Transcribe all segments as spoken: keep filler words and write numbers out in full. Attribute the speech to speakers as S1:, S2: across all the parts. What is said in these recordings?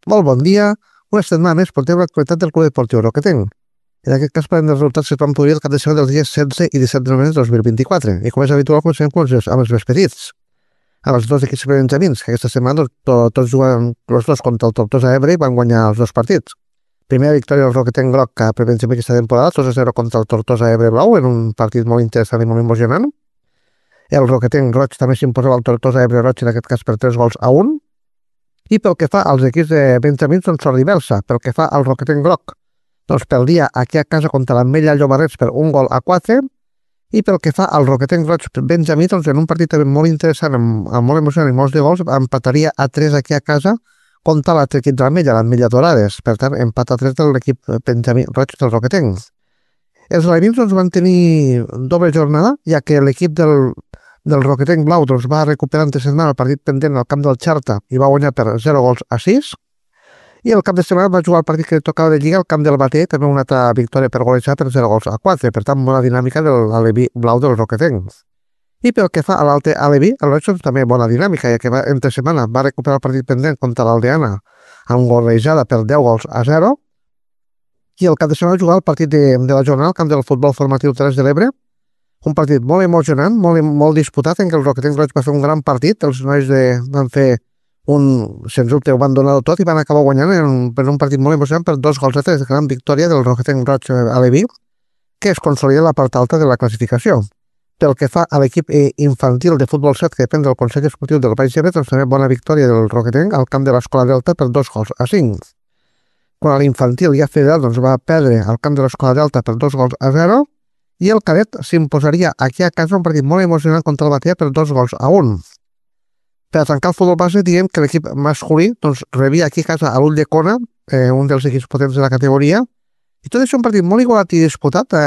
S1: Molt bon dia. Una setmana més portem l'actualitat del Club Esportiu Roquetenc. En aquest cas parlem dels resultats que es van produir el cap de setmana dels dies setze i disset de novembre de dos mil vint-i-quatre. I com és habitual, comencem amb els, amb els més petits. Amb els dos equips benjamins, que aquesta setmana doncs, to, tots juguen els dos contra el Tortosa Ebre i van guanyar els dos partits. Primera victòria del Roquetenc Groc que per benjamí aquesta temporada, dos a zero contra el Tortosa Ebre Blau, en un partit molt interessant i molt emocionant. El Roquetenc Roig també s'imposava al Tortosa Ebre Roig, en aquest cas per tres gols a un. I pel que fa als equips de benjamins, doncs sort diversa. Pel que fa al Roquetenc Groc, doncs perdia aquí a casa contra l'Ametlla Llobarrets per un gol a quatre. I pel que fa al Roquetenc Roig benjamí, doncs en un partit també molt interessant, amb, amb molt emocionant i molts de gols, empataria a tres aquí a casa contra l'altre equip de l'Ametlla, l'Ametlla Dorades. Per tant, empat a tres de l'equip benjamí Roig del Roquetenc. Els alevins doncs, van tenir doble jornada, ja que l'equip del del Roquetenc Blau doncs, va recuperar entre setmana el partit pendent al camp del Xarta i va guanyar per zero gols a sis. I el cap de setmana va jugar el partit que tocava de Lliga al camp del Bater, també una altra victòria per golejar per zero gols a quatre. Per tant, bona dinàmica de l'Aleví Blau del Roquetenc. I pel que fa a l'Alte Aleví, el Roig doncs, també bona dinàmica, ja que va, entre setmana va recuperar el partit pendent contra l'Aldeana amb golejada per deu gols a zero. I el cap de setmana va jugar el partit de, de la jornada al camp del Futbol Formatiu tres de l'Ebre, un partit molt emocionant, molt, molt disputat, en què el Roquetenc Roig va fer un gran partit. Els nois de, van fer un... sens dubte ho van donar tot i van acabar guanyant en un, en un partit molt emocionant per dos gols a tres. Gran victòria del Roquetenc Roig Aleví, que es consolida la part alta de la classificació. Pel que fa a l'equip infantil de futbol set, que depèn del Consell Esportiu del Baix Ebre, doncs també bona victòria del Roquetenc al camp de l'Escola Delta per dos gols a cinc. Quan a l'infantil ja federal doncs, va perdre al camp de l'Escola Delta per dos gols a zero, i el cadet s'imposaria aquí a casa un partit molt emocionant contra el Batea per dos gols a un. Per a tancar el futbol base, diem que l'equip masculí doncs, rebia aquí a casa a l'Ull de Cona, eh, un dels equips potents de la categoria, i tot això un partit molt igualat i disputat. Eh,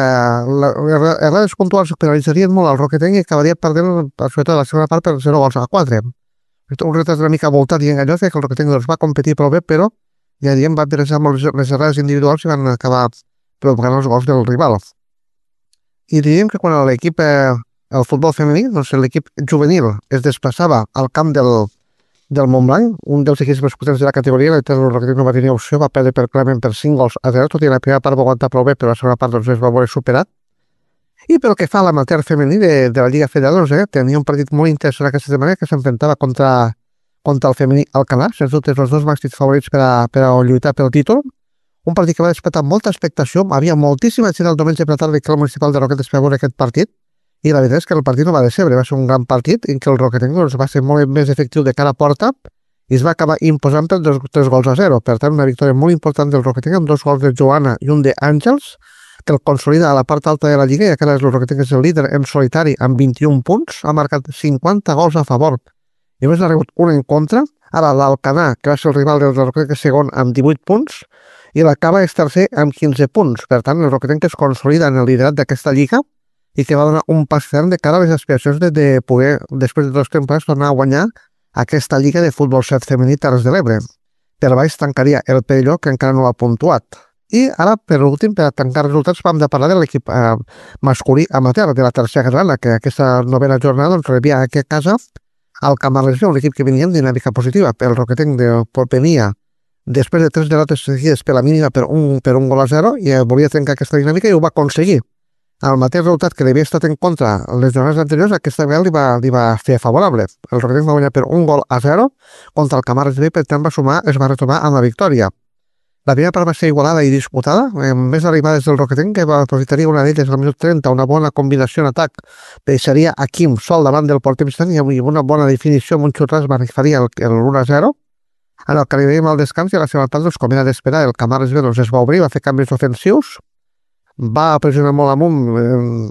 S1: les errades puntuals penalitzarien molt al Roquetenc i acabaria perdent, sobretot la segona part, per zero gols a quatre. Un retrat una mica voltat i enganyós, que el Roquetenc doncs, va competir prou bé, però ja diem, va interessar molt les errades individuals i van acabar provocant els gols del rival. I diríem que quan l'equip, eh, el futbol femení, doncs l'equip juvenil es desplaçava al camp del, del Montblanc, un dels equips més potents de la categoria, el Roquetenc no va tenir opció, va perdre per clarament per cinc gols a zero, tot i la primera part va aguantar prou bé, però la segona part doncs, es va veure superat. I pel que fa a l'amateur femení de, de la Lliga Federal, doncs, eh, tenia un partit molt interessant aquesta setmana que s'enfrontava contra, contra el femení Alcanar, sens dubte els dos màxims favorits per a, per a lluitar pel títol. Un partit que va despertar molta expectació, havia moltíssima gent el diumenge per la tarda que el municipal de Roquetes per veure aquest partit, i la veritat és que el partit no va decebre, va ser un gran partit en què el Roquetenc doncs, va ser molt més efectiu de cara a porta i es va acabar imposant per dos, tres gols a zero. Per tant, una victòria molt important del Roquetenc amb dos gols de Joana i un d'Àngels, que el consolida a la part alta de la Lliga, i que ara el Roquetenc és el líder en solitari amb vint-i-un punts, ha marcat cinquanta gols a favor i només n'ha rebut un en contra. Ara l'Alcanar, que va ser el rival del Roquetenc segon amb divuit punts, i la Cava és tercer amb quinze punts. Per tant, el Roquetenc es consolida en el liderat d'aquesta lliga i que va donar un pas ferm de cara a les aspiracions de, de poder, després de dues temporades, tornar a guanyar aquesta lliga de futbol set femení Terres de l'Ebre. Per baix tancaria el Perelló, que encara no l'ha puntuat. I ara, per últim, per tancar resultats, vam de parlar de l'equip eh, masculí amateur de la tercera catalana, que aquesta novena jornada doncs, rebia aquí a casa al Camarles, un equip que venia en dinàmica positiva. El Roquetenc de venia després de tres derrotes seguides per la mínima per un, per un gol a zero i volia trencar aquesta dinàmica i ho va aconseguir. El mateix resultat que havia estat en contra les jornades anteriors, aquesta vegada li va, li va fer favorable. El Roquetenc va guanyar per un gol a zero contra el Camarles B, per tant va sumar, es va retomar amb la victòria. La primera part va ser igualada i disputada, amb més arribades del Roquetenc, que va aprofitaria una d'elles al minut trenta, una bona combinació en atac, deixaria a Quim sol davant del porter visitant i amb una bona definició amb un xutàs va faria el l'un a zero. En el que arribem al descans i a la seva part, doncs, com era d'esperar, el Camarles B doncs, es va obrir, va fer canvis ofensius, va pressionar molt amunt,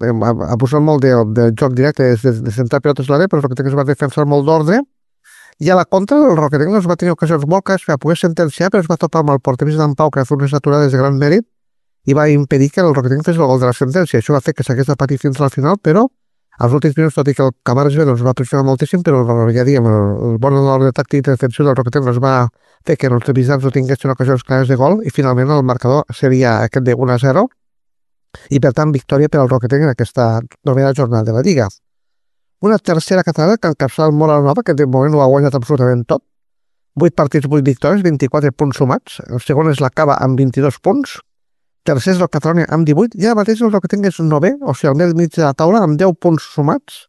S1: eh, abusant molt de, de joc directe, de, de centrar pilotes a l'àrea, però el Roquetenc es va defensar molt d'ordre, i a la contra el Roquetenc doncs, va tenir ocasions molt clares per a poder sentenciar, però es va topar amb el porter d'en Pau, que va fer unes aturades de gran mèrit, i va impedir que el Roquetenc fes el gol de la sentència. Això va fer que s'hagués de patir fins al final, però als últims minuts, tot i que el Camarles B doncs, va pressionar moltíssim, però ja diguem, el, el bon ordre tàctic i defensiu del Roquetenc doncs, va fer que els visitants no tinguessin ocasions clares de gol i finalment el marcador seria aquest de un a zero i per tant victòria per al Roquetenc en aquesta novena jornada de la Lliga. Una tercera catalana que encapçala el Moral Nova, que de moment ho ha guanyat absolutament tot, vuit partits, vuit victòries, vint-i-quatre punts sumats. El segon és la Cava amb vint-i-dos punts. Tercer és el Catalonia amb divuit. I ara mateix el Roquetenc és novè, o sigui, al mig mig de la taula, amb deu punts sumats,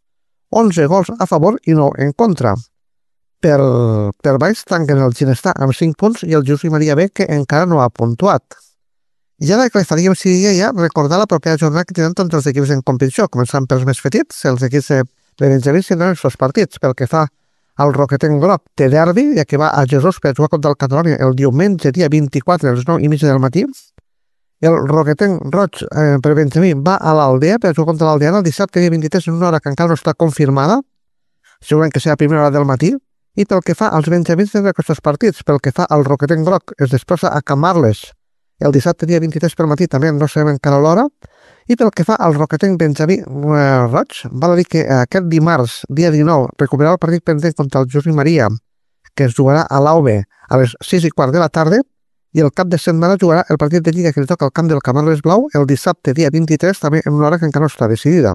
S1: onze gols a favor i nou en contra. Per, per baix tanquen el Ginestar amb cinc punts i el Josep Maria B, que encara no ha puntuat. I ara el que faríem seria ja recordar la propera jornada que tenen tots els equips en competició, començant pels més petits, els equips de Benjamins tindran els seus partits. Pel que fa al Roquetenc groc, té derbi, ja que va a Jesús per jugar contra el Catalonia el diumenge, dia vint-i-quatre, a les nou i mitja del matí. El Roquetenc roig eh, per Benjamí va a l'Aldea per jugar contra l'Aldeana el dissabte, dia vint-i-tres, en una hora que encara no està confirmada, segurament que serà a primera hora del matí. I pel que fa als benjamins tindrà aquests partits. Pel que fa al Roquetenc groc, es desplaça a Camarles el dissabte, dia vint-i-tres per matí, també no sabem encara l'hora. I pel que fa al Roquetenc benjamí eh, roig, val a dir que aquest dimarts, dia dinou, recuperarà el partit pendent contra el Josep Maria, que es jugarà a l'A U B a les sis i quart de la tarda, i el cap de setmana jugarà el partit de Lliga que li toca al camp del Camarles Blau el dissabte, dia vint-i-tres, també en una hora que encara no està decidida.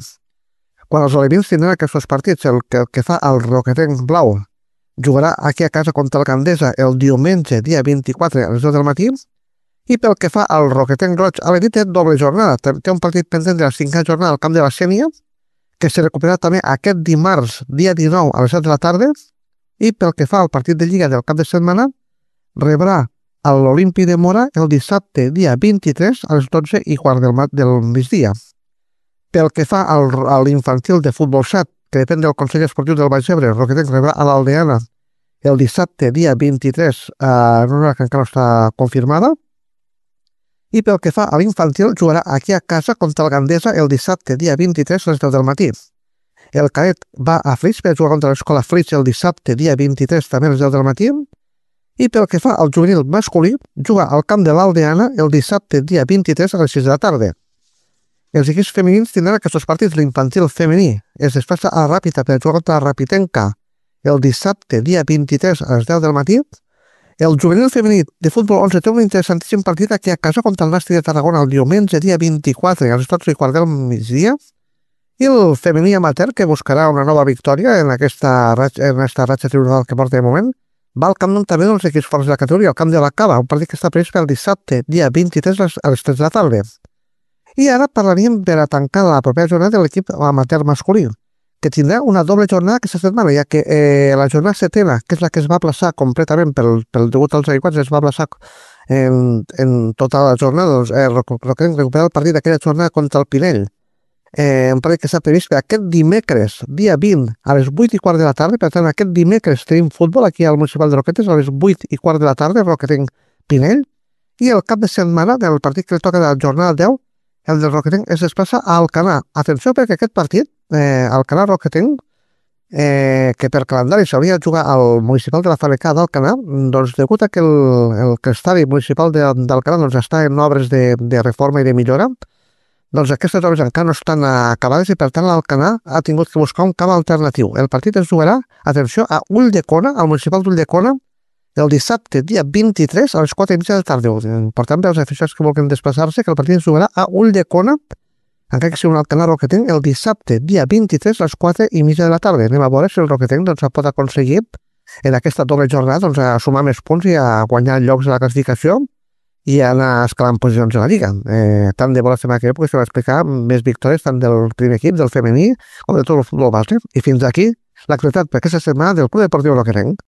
S1: Quan els olivins tindran aquests partits, el que, el que fa al Roquetenc Blau jugarà aquí a casa contra el Gandesa el diumenge, dia vint-i-quatre, a les deu del matí. I pel que fa al Roquetenc roig, a l'Edit té doble jornada. Té un partit pendent de la cinquena jornada al camp de la Sénia, que se recuperarà també aquest dimarts, dia dinou, a les set de la tarda. I pel que fa al partit de Lliga del cap de setmana, rebrà a l'Olimpi de Mora el dissabte, dia vint-i-tres, a les dotze i quart del, del migdia. Pel que fa al, a l'infantil de futbol set, que depèn del Consell Esportiu del Baix Ebre, el Roquetenc rebrà a l'Aldeana el dissabte, dia vint-i-tres, eh, en una hora que encara no està confirmada. I pel que fa a l'infantil, jugarà aquí a casa contra el Gandesa el dissabte, dia vint-i-tres, a les deu del matí. El cadet va a Flix per jugar contra l'escola Flix el dissabte, dia vint-i-tres, també a les deu del matí. I pel que fa al juvenil masculí, juga al camp de l'Aldeana el dissabte, dia vint-i-tres, a les sis de la tarda. Els equips femenins tindran aquests partits. L'infantil femení es desplaça a la Ràpita per jugar contra la Rapitenca el dissabte, dia vint-i-tres, a les deu del matí. El juvenil femení de futbol onze té un interessantíssim partit aquí a casa contra el Nàstic de Tarragona el diumenge, dia vint-i-quatre, a les dotze i quart del migdia. I el femení amateur, que buscarà una nova victòria en aquesta ratxa, en aquesta ratxa tribunal que porta de moment, va al camp també dels equips forts de la categoria, al camp de la Cava, un partit que està previst pel dissabte, dia vint-i-tres, a les tres de la tarda. I ara parlaríem per a tancar la propera jornada de l'equip amateur masculí, que tindrà una doble jornada aquesta setmana, ja que eh, la jornada setena, que és la que es va aplaçar completament pel, pel degut als aiguats, es va aplaçar en, en tota la jornada, doncs eh, Roquetenc recuperar el partit d'aquella jornada contra el Pinell. Eh, un partit que s'ha previst per aquest dimecres, dia vint, a les vuit i quart de la tarda. Per tant, aquest dimecres tenim futbol aquí al Municipal de Roquetes a les vuit i quart de la tarda, Roquetenc Pinell. I el cap de setmana del partit que li toca de la jornada deu, el del Roquetenc es desplaça a Alcanar. Atenció, perquè aquest partit, eh, Alcanar Roquetenc, eh, que per calendari s'hauria de jugar al municipal de la Fabrecà d'Alcanar, doncs degut a que el, el que estadi municipal d'Alcanar doncs, està en obres de, de reforma i de millora, doncs aquestes obres encara no estan acabades i per tant l'Alcanar ha tingut que buscar un camp alternatiu. El partit es jugarà, atenció, a Ulldecona, al municipal d'Ulldecona, el dissabte, dia vint-i-tres, a les quatre i mitja de la tarda. Per tant, els aficionats que vulguin desplaçar-se, que el partit es jugarà a Ulldecona, encara que sigui un Alcanar Roquetenc, el dissabte, dia vint-i-tres, a les quatre i mitja de la tarda. Anem a veure si el Roquetenc doncs, pot aconseguir en aquesta doble jornada doncs, a sumar més punts i a guanyar llocs de la classificació i a anar escalant posicions a la Lliga. Eh, tant de bo la setmana que ve perquè s'ha d'explicar més victòries tant del primer equip, del femení, com de tot el futbol base. I fins aquí l'actualitat per aquesta setmana del Club Deportiu Roquetenc.